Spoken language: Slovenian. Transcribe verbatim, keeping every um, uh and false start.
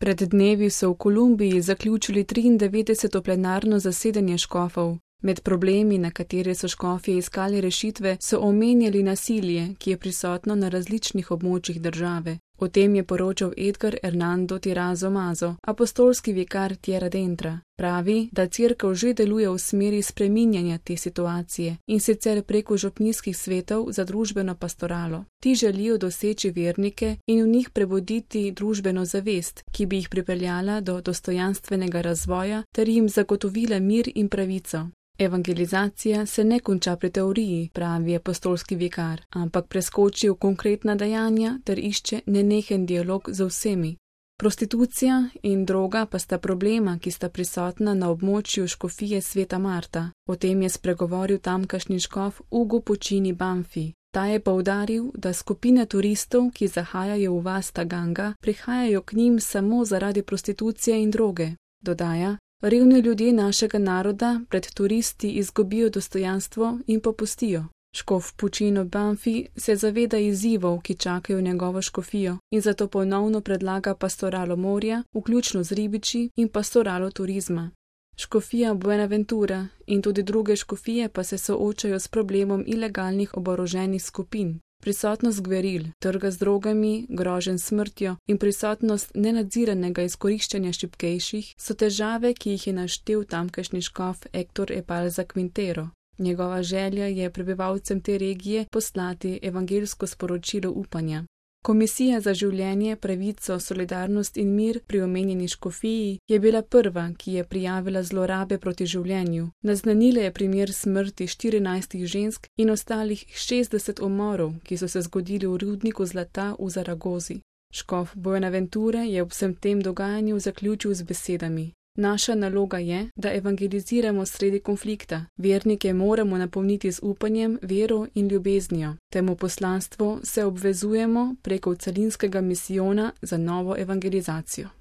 Pred dnevi so v Kolumbiji zaključili triindevetdeseto plenarno zasedanje škofov. Med problemi, na katere so škofje iskali rešitve, so omenjali nasilje, ki je prisotno na različnih območjih države. O tem je poročal Edgar Hernando Tirazo Mazo, apostolski vikar Tierra Adentro. Pravi, da cerkev že deluje v smeri spreminjanja te situacije in sicer preko župnijskih svetov za družbeno pastoralo. Ti želijo doseči vernike in v njih prebuditi družbeno zavest, ki bi jih pripeljala do dostojanstvenega razvoja ter jim zagotovila mir in pravico. Evangelizacija se ne konča pri teoriji, pravi apostolski vikar, ampak preskoči v konkretna dejanja ter išče nenehen dialog z vsemi. Prostitucija in droga pa sta problema, ki sta prisotna na območju škofije Sveta Marta. O tem je spregovoril tamkajšnji škof Ugo Puccini Banfi. Ta je poudaril, da skupine turistov, ki zahajajo v vas Taganga, prihajajo k njim samo zaradi prostitucije in droge. Dodaja: Revni ljudje našega naroda pred turisti izgubijo dostojanstvo in popustijo. Škof Puccino Banfi se zaveda izzivov, ki čakajo njegovo škofijo, in zato ponovno predlaga pastoralo morja, vključno z ribiči, in pastoralo turizma. Škofija Buenaventura in tudi druge škofije pa se soočajo s problemom ilegalnih oboroženih skupin. Prisotnost gveril, trga z drogami, groženj smrtjo in prisotnost nenadziranega izkoriščanja šibkejših so težave, ki jih je naštel tamkajšnji škof Héctor Epalza Quintero. Njegova želja je prebivalcem te regije poslati evangeljsko sporočilo upanja. Komisija za življenje, pravico, solidarnost in mir pri omenjeni škofiji je bila prva, ki je prijavila zlorabe proti življenju. Naznanila je primer smrti štirinajstih žensk in ostalih šestdeset umorov, ki so se zgodili v rudniku zlata v Zaragozi. Škof Buenaventure je ob vsem tem dogajanju zaključil z besedami: Naša naloga je, da evangeliziramo sredi konflikta. Vernike moramo napolniti z upanjem, vero in ljubeznijo. Temu poslanstvu se obvezujemo preko celinskega misijona za novo evangelizacijo.